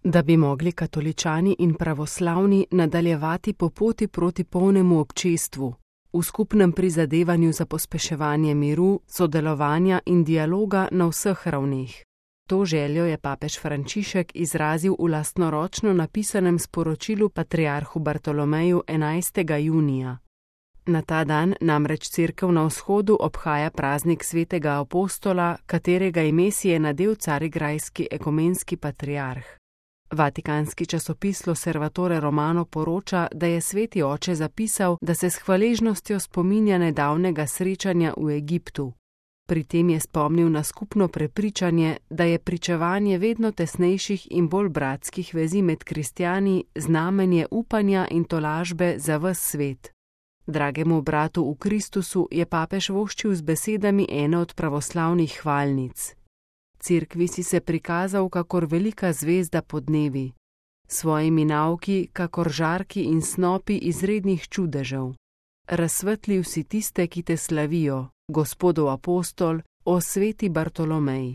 Da bi mogli katoličani in pravoslavni nadaljevati po poti proti polnemu občestvu, v skupnem prizadevanju za pospeševanje miru, sodelovanja in dialoga na vseh ravneh. To željo je papež Frančišek izrazil v lastnoročno napisanem sporočilu patriarhu Bartolomeju 11. junija. Na ta dan namreč Cerkev na vzhodu obhaja praznik svetega apostola, katerega ime si je nadel carigrajski ekumenski patriarh. Vatikanski časopis L'Osservatore Romano poroča, da je sveti oče zapisal, da se s hvaležnostjo spominja nedavnega srečanja v Egiptu. Pri tem je spomnil na skupno prepričanje, da je pričevanje vedno tesnejših in bolj bratskih vezi med kristjani znamenje upanja in tolažbe za ves svet. Dragemu bratu v Kristusu je papež voščil z besedami ene od pravoslavnih hvalnic. Cerkvi si se prikazal kakor velika zvezda podnevi, svojimi nauki kakor žarki in snopi izrednih čudežev. Razsvetlil si tiste, ki te slavijo, Gospodov apostol, o sveti Bartolomej.